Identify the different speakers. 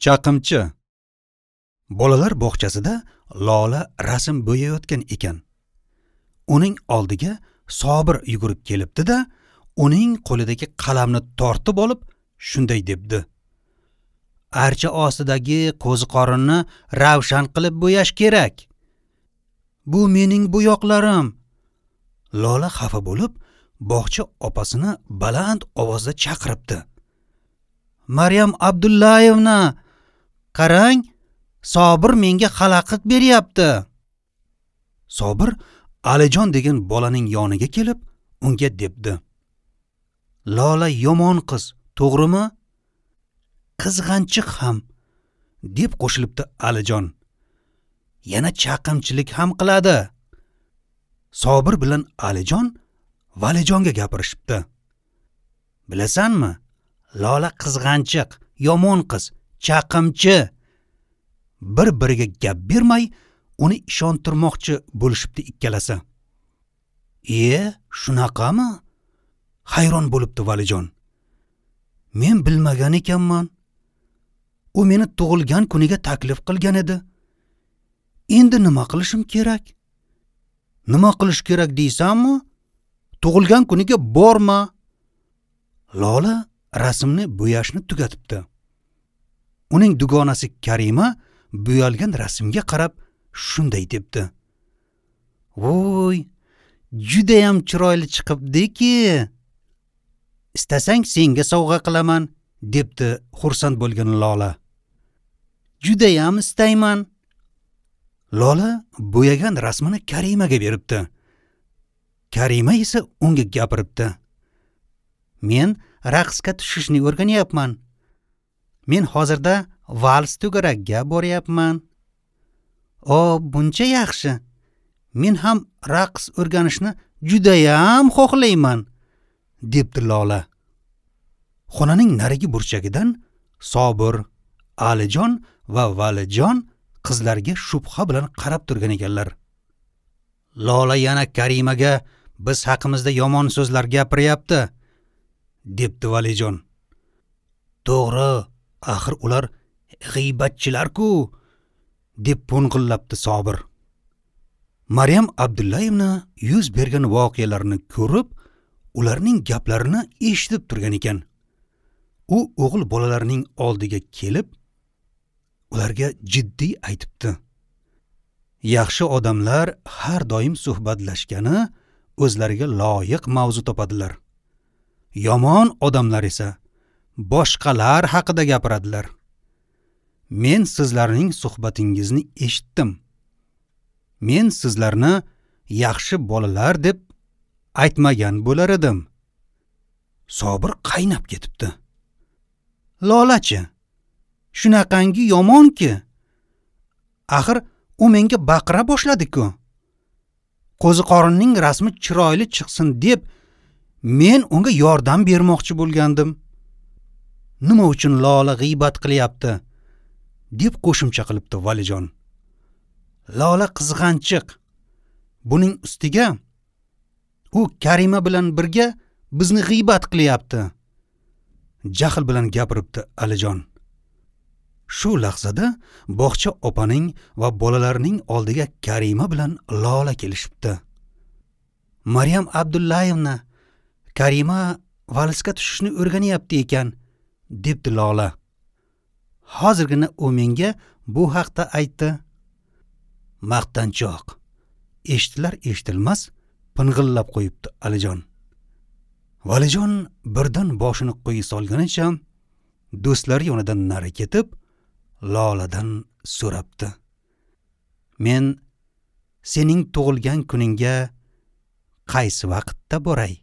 Speaker 1: Chaqimchi. Bolalar bog'chasida Lola rasm bo'yayotgan ekan. Uning oldiga Sobir yugurib kelibdi-da, uning qo'lidagi qalamni tortib olib, shunday debdi: "Archa ostidagi qo'ziqorinni ravshan qilib bo'yash kerak. Bu mening bo'yoqlarim." Lola xafa bo'lib, bog'cha opasini baland ovozda chaqiribdi: "Maryam Abdullayevna, qarang, Sobir menga xalaqit beryapti." Sobir Alijon degan bolaning yoniga kelib, unga debdi: "Lola yomon qiz, to'g'rimi? Qizg'anchiq ham", deb qo'shilibdi Alijon. "Yana chaqimchilik ham qiladi." Sobir bilan Alijon Valijonga gapirishibdi. "Bilasanmi, Lola qizg'anchiq, yomon qiz, chaqimchi." Bir-biriga gap bermay, uni ishontirmoqchi bo'lishibdi ikkalasi. Shunaqami? Hayron bo'libdi Valijon. Men bilmagan ekanman. U meni tug'ilgan kuniga taklif qilgan edi. Endi nima qilishim kerak? Nima qilish kerak deysanmi? Tug'ilgan kuniga borma. Lola rasmni bo'yashni tugatibdi. Uning dugonasi Karima bo'yalgan rasmga qarab shunday debdi: "Voy, judayam chiroyli chiqibdi-ki. Istasang senga sovg'a qilaman", debdi xursand bo'lgan Lola. "Judayam istayman." Lola bo'yagan rasmini Karimaga beribdi. Karima esa unga gapiribdi: "Men raqsga tushishni o'rganyapman. Men hozirda vals to'garagiga boryapman." "O, buncha yaxshi. Men ham raqs o'rganishni judayam xohlayman", debdi Lola. Xonaning narigi burchagidan Sobir, Alijon va Valijon qizlarga shubha bilan qarab turgan ekanlar. Lola yana Karimaga biz haqimizda yomon so'zlar gapiryapti, debdi Valijon. "To'g'ri, axir ular g'iybatchilar-ku", deb po'ng'illabdi Sobir. Maryam Abdullayevna yuz bergan voqealarni ko'rib, ularning gaplarini eshitib turgan ekan. U o'g'il bolalarining oldiga kelib, ularga jiddiy aytibdi: "Yaxshi odamlar har doim suhbatlashgani o'zlariga loyiq mavzu topadilar. Yomon odamlar esa boshqalar haqida gapiradilar. Men sizlarning suhbatingizni eshitdim. Men sizlarni yaxshi bolalar deb aytmagan bo'lar edim." Sobir qaynab ketibdi. "Lolachi, shunaqangi yomonki. Axir u menga baqira boshladi-ku. Qo'ziqorinning rasmi chiroyli chiqsin deb men unga yordam bermoqchi bo'lgandim. Nima uchun Lola g'iybat qilyapti?" deb qo'shimcha qilibdi Valijon. "Lola qizg'anchiq. Buning ustiga u Karima bilan birga bizni g'iybat qilyapti", jahl bilan gapiribdi Alijon. Shu lahzada bog'cha opaning va bolalarning oldiga Karima bilan Lola kelishibdi. "Maryam Abdullayevna, Karima valsga tushishni o'rganyapti ekan", debdi Lola. "Hozirgina u menga bu haqda aytdi." Maqtanchoq. Eshitilar eshitilmas ping'illab qo'yibdi Alijon. Valijon birdan boshini quyi solganicha do'stlari yonidan nari ketib, Loladan so'rabdi: "Men sening tug'ilgan kuningga qaysi vaqtda boray?"